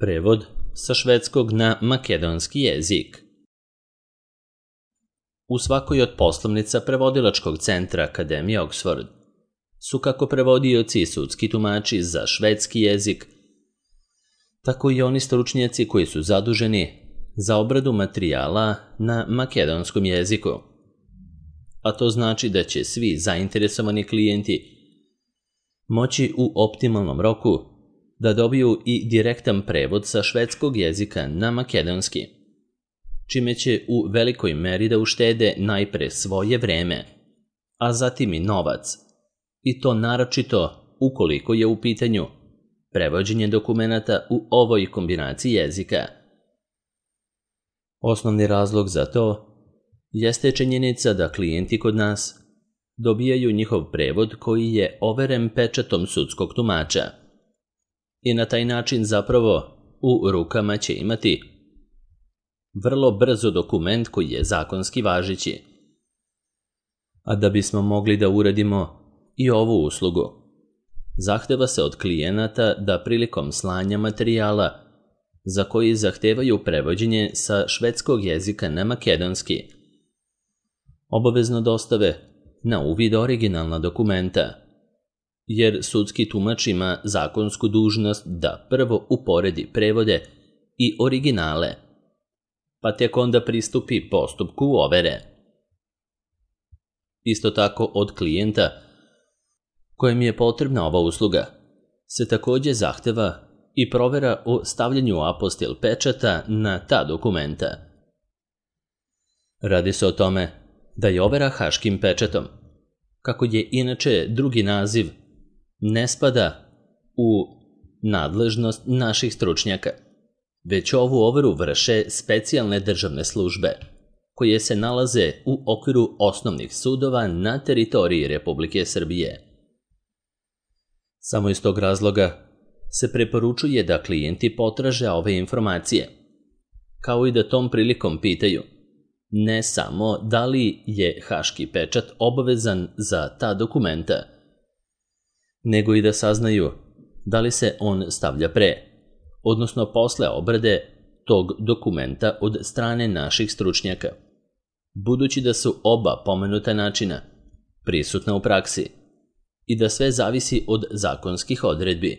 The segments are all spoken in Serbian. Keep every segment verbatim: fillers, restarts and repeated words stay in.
Prevod sa švedskog na makedonski jezik. U svakoj od poslovnica prevodilačkog centra Akademije Oxford su kako prevodioci i sudski tumači za švedski jezik, tako i oni stručnjaci koji su zaduženi za obradu materijala na makedonskom jeziku. A to znači da će svi zainteresovani klijenti moći u optimalnom roku da dobiju i direktan prevod sa švedskog jezika na makedonski, čime će u velikoj meri da uštede najpre svoje vreme, a zatim i novac, i to naročito ukoliko je u pitanju prevođenje dokumenata u ovoj kombinaciji jezika. Osnovni razlog za to jeste činjenica da klijenti kod nas dobijaju njihov prevod koji je overen pečatom sudskog tumača i na taj način zapravo u rukama će imati vrlo brzo dokument koji je zakonski važeći. A da bismo mogli da uradimo i ovu uslugu, zahteva se od klijenata da prilikom slanja materijala za koji zahtevaju prevođenje sa švedskog jezika na makedonski, obavezno dostave na uvid originalna dokumenta, jer sudski tumač ima zakonsku dužnost da prvo uporedi prevode i originale, pa tek onda pristupi postupku overe. Isto tako od klijenta kojem je potrebna ova usluga se također zahteva i provera o stavljanju apostil pečata na ta dokumenta. Radi se o tome da je overa haškim pečatom, kako je inače drugi naziv, ne spada u nadležnost naših stručnjaka, već ovu overu vrše specijalne državne službe, koje se nalaze u okviru osnovnih sudova na teritoriji Republike Srbije. Samo iz tog razloga se preporučuje da klijenti potraže ove informacije, kao i da tom prilikom pitaju ne samo da li je haški pečat obavezan za ta dokumenta, nego i da saznaju da li se on stavlja pre, odnosno posle obrade tog dokumenta od strane naših stručnjaka, budući da su oba pomenuta načina prisutna u praksi i da sve zavisi od zakonskih odredbi.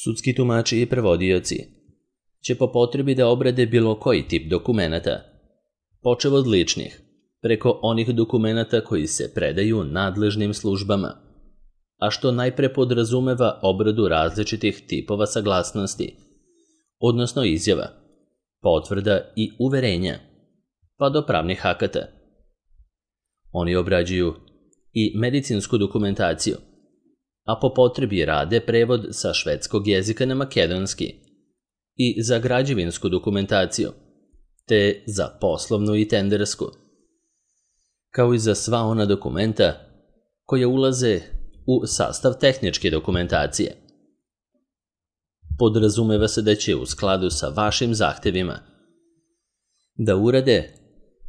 Sudski tumači i prevodioci će po potrebi da obrade bilo koji tip dokumenata, počev od ličnih, preko onih dokumenata koji se predaju nadležnim službama, a što najpre podrazumeva obradu različitih tipova saglasnosti, odnosno izjava, potvrda i uverenja, pa do pravnih akata. Oni obrađuju i medicinsku dokumentaciju, a po potrebi rade prevod sa švedskog jezika na makedonski i za građevinsku dokumentaciju, te za poslovnu i tendersku, kao i za sva ona dokumenta koja ulaze u sastav tehničke dokumentacije. Podrazumeva se da će u skladu sa vašim zahtevima da urade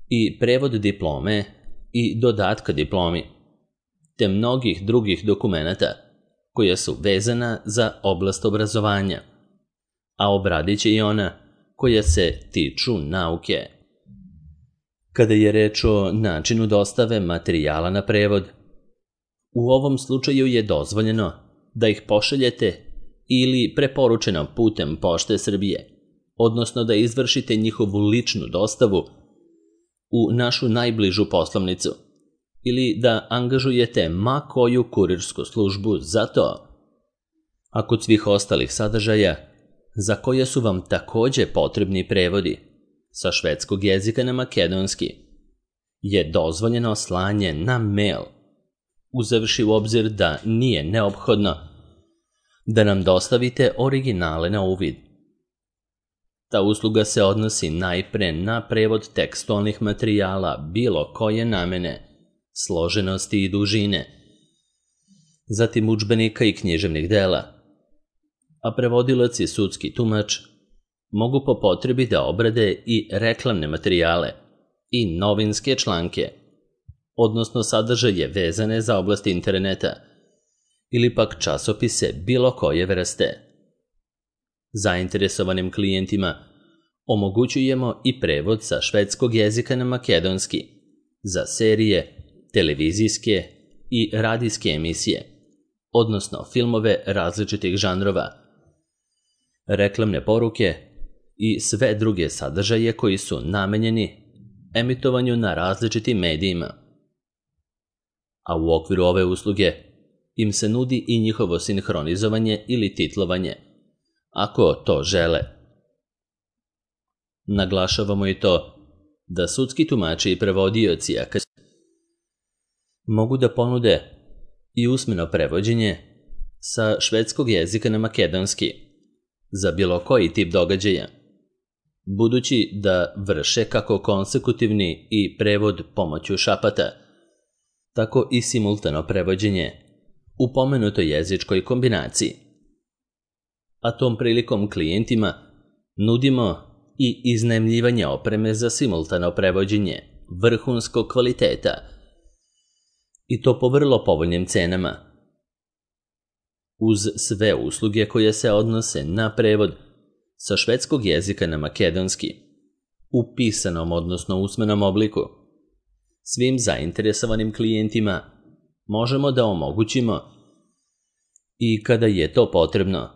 i prevod diplome i dodatka diplomi, te mnogih drugih dokumenata koja su vezana za oblast obrazovanja, a obradit će i ona koja se tiču nauke. Kada je reč o načinu dostave materijala na prevod, u ovom slučaju je dozvoljeno da ih pošaljete ili preporučeno putem Pošte Srbije, odnosno da izvršite njihovu ličnu dostavu u našu najbližu poslovnicu ili da angažujete ma koju kurirsku službu za to. A kod svih ostalih sadržaja, za koje su vam također potrebni prevodi sa švedskog jezika na makedonski, je dozvoljeno slanje na mail, uzevši u obzir da nije neophodno da nam dostavite originale na uvid. Ta usluga se odnosi najpre na prevod tekstualnih materijala bilo koje namene, složenosti i dužine, zatim udžbenika i književnih dela, a prevodilac i sudski tumač mogu po potrebi da obrade i reklamne materijale i novinske članke, odnosno sadržaje vezane za oblast interneta ili pak časopise bilo koje vrste. Zainteresovanim klijentima omogućujemo i prevod sa švedskog jezika na makedonski za serije, televizijske i radijske emisije, odnosno filmove različitih žanrova, reklamne poruke i sve druge sadržaje koji su namenjeni emitovanju na različitim medijima. A u okviru ove usluge im se nudi i njihovo sinhronizovanje ili titlovanje, ako to žele. Naglašavamo i to da sudski tumači i prevodioci mogu da ponude i usmeno prevođenje sa švedskog jezika na makedonski za bilo koji tip događaja, budući da vrše kako konsekutivni i prevod pomoću šapata, tako i simultano prevođenje u pomenutoj jezičkoj kombinaciji. A tom prilikom klijentima nudimo i iznajmljivanje opreme za simultano prevođenje vrhunskog kvaliteta, i to po vrlo povoljnim cenama. Uz sve usluge koje se odnose na prevod sa švedskog jezika na makedonski u pisanom odnosno usmenom obliku, svim zainteresovanim klijentima možemo da omogućimo i kada je to potrebno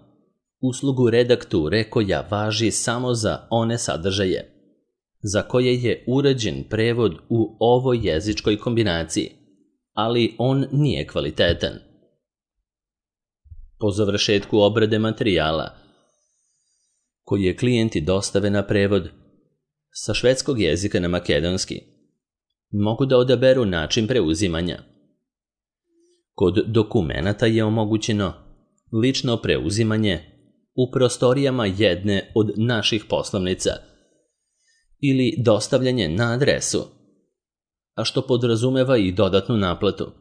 uslugu redakture koja važi samo za one sadržaje za koje je urađen prevod u ovoj jezičkoj kombinaciji, ali on nije kvalitetan. Po završetku obrade materijala koje klijenti dostave na prevod sa švedskog jezika na makedonski, mogu da odaberu način preuzimanja. Kod dokumenata je omogućeno lično preuzimanje u prostorijama jedne od naših poslovnica ili dostavljanje na adresu, a što podrazumeva i dodatnu naplatu,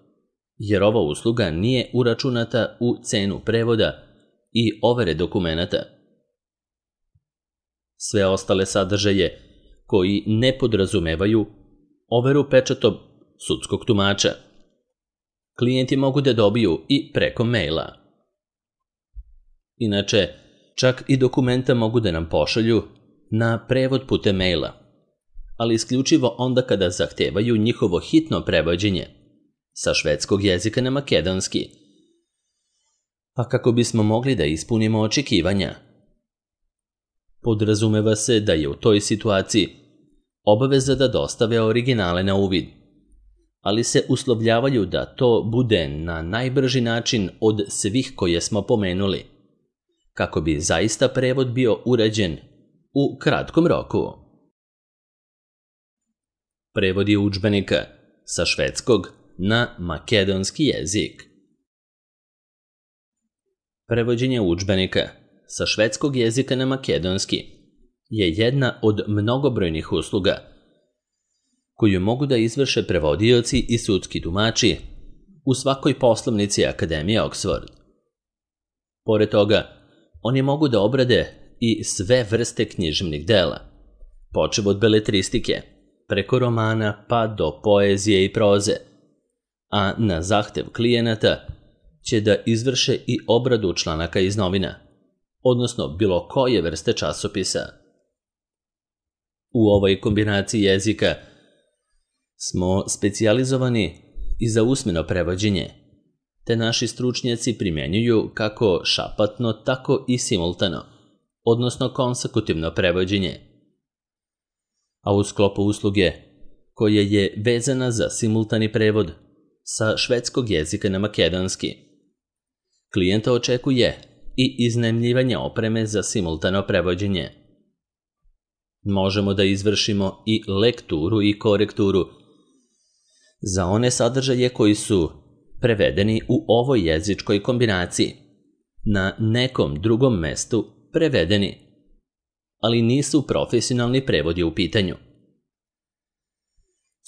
jer ova usluga nije uračunata u cenu prevoda i overe dokumenata. Sve ostale sadržaje koji ne podrazumevaju overu pečatom sudskog tumača klijenti mogu da dobiju i preko maila. Inače, čak i dokumenta mogu da nam pošalju na prevod putem maila, ali isključivo onda kada zahtevaju njihovo hitno prevođenje sa švedskog jezika na makedonski, a kako bismo mogli da ispunimo očekivanja. Podrazumeva se da je u toj situaciji obaveza da dostave originale na uvid, ali se uslovljavaju da to bude na najbrži način od svih koje smo pomenuli, kako bi zaista prevod bio urađen u kratkom roku. Prevodi udžbenika sa švedskog na makedonski jezik. Prevođenje udžbenika sa švedskog jezika na makedonski je jedna od mnogobrojnih usluga koju mogu da izvrše prevodioci i sudski tumači u svakoj poslovnici Akademije Oxford. Pored toga, oni mogu da obrade i sve vrste književnih dela, počev od beletristike, preko romana pa do poezije i proze, a na zahtev klijenata će da izvrše i obradu članaka iz novina, odnosno bilo koje vrste časopisa. U ovoj kombinaciji jezika smo specijalizovani i za usmeno prevođenje, te naši stručnjaci primjenjuju kako šapatno, tako i simultano, odnosno konsekutivno prevođenje. A u sklopu usluge koja je vezana za simultani prevod sa švedskog jezika na makedonski, klijenta očekuje i iznajmljivanje opreme za simultano prevođenje. Možemo da izvršimo i lekturu i korekturu za one sadržaje koji su prevedeni u ovoj jezičkoj kombinaciji, na nekom drugom mestu prevedeni, ali nisu profesionalni prevodi u pitanju.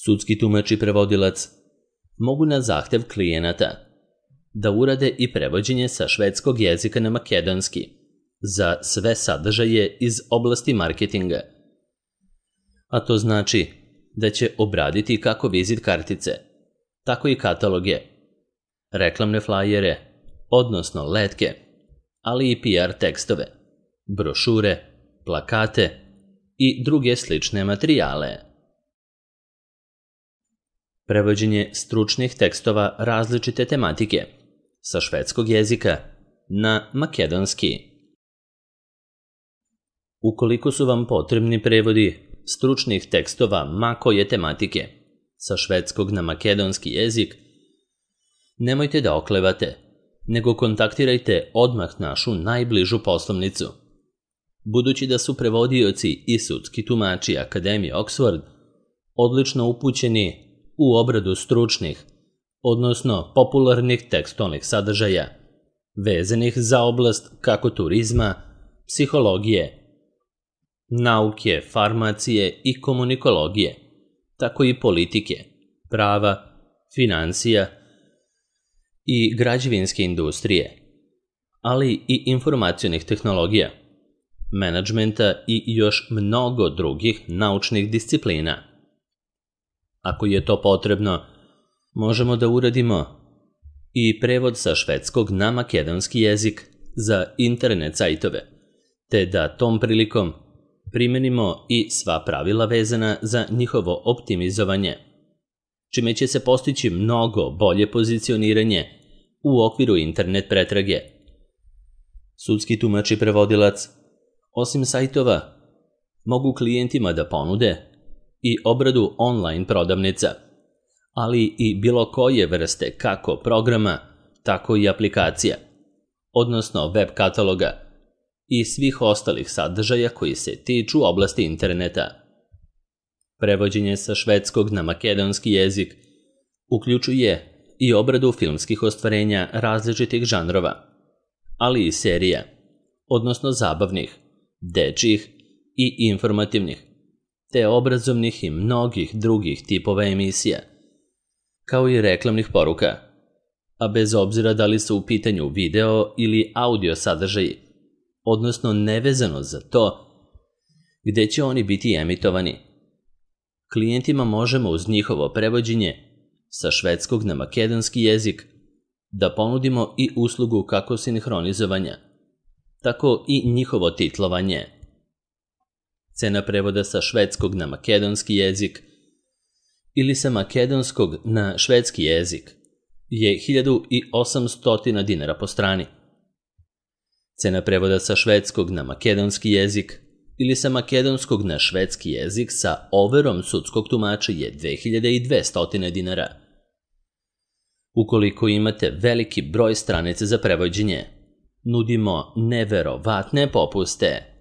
Sudski tumač i prevodilac mogu na zahtev klijenata da urade i prevođenje sa švedskog jezika na makedonski za sve sadržaje iz oblasti marketinga, a to znači da će obraditi kako vizit kartice, tako i kataloge, reklamne flajere, odnosno letke, ali i P R tekstove, brošure, plakate i druge slične materijale. Prevođenje stručnih tekstova različite tematike sa švedskog jezika na makedonski. Ukoliko su vam potrebni prevodi stručnih tekstova ma koje tematike sa švedskog na makedonski jezik, nemojte da oklevate, nego kontaktirajte odmah našu najbližu poslovnicu. Budući da su prevodioci i sudski tumači Akademije Oxford odlično upućeni u obradu stručnih, odnosno popularnih tekstualnih sadržaja, vezanih za oblast kako turizma, psihologije, nauke, farmacije i komunikologije, tako i politike, prava, financija i građevinske industrije, ali i informacionih tehnologija, menadžmenta i još mnogo drugih naučnih disciplina. Ako je to potrebno, možemo da uradimo i prevod sa švedskog na makedonski jezik za internet sajtove, te da tom prilikom primenimo i sva pravila vezana za njihovo optimizovanje, čime će se postići mnogo bolje pozicioniranje u okviru internet pretrage. Sudski tumač i prevodilac, osim sajtova, mogu klijentima da ponude i obradu online prodavnica, ali i bilo koje vrste kako programa, tako i aplikacija, odnosno web kataloga i svih ostalih sadržaja koji se tiču oblasti interneta. Prevođenje sa švedskog na makedonski jezik uključuje i obradu filmskih ostvarenja različitih žanrova, ali i serija, odnosno zabavnih, dečjih i informativnih, te obrazovnih i mnogih drugih tipova emisija, kao i reklamnih poruka, a bez obzira da li su u pitanju video ili audio sadržaji, odnosno nevezano za to gde će oni biti emitovani. Klijentima možemo uz njihovo prevođenje sa švedskog na makedonski jezik da ponudimo i uslugu kako sinhronizovanja, tako i njihovo titlovanje. Cena prevoda sa švedskog na makedonski jezik ili sa makedonskog na švedski jezik je hiljadu osamsto dinara po strani. Cena prevoda sa švedskog na makedonski jezik ili sa makedonskog na švedski jezik sa overom sudskog tumača je dve hiljade dvesta dinara. Ukoliko imate veliki broj stranica za prevođenje, nudimo neverovatne popuste.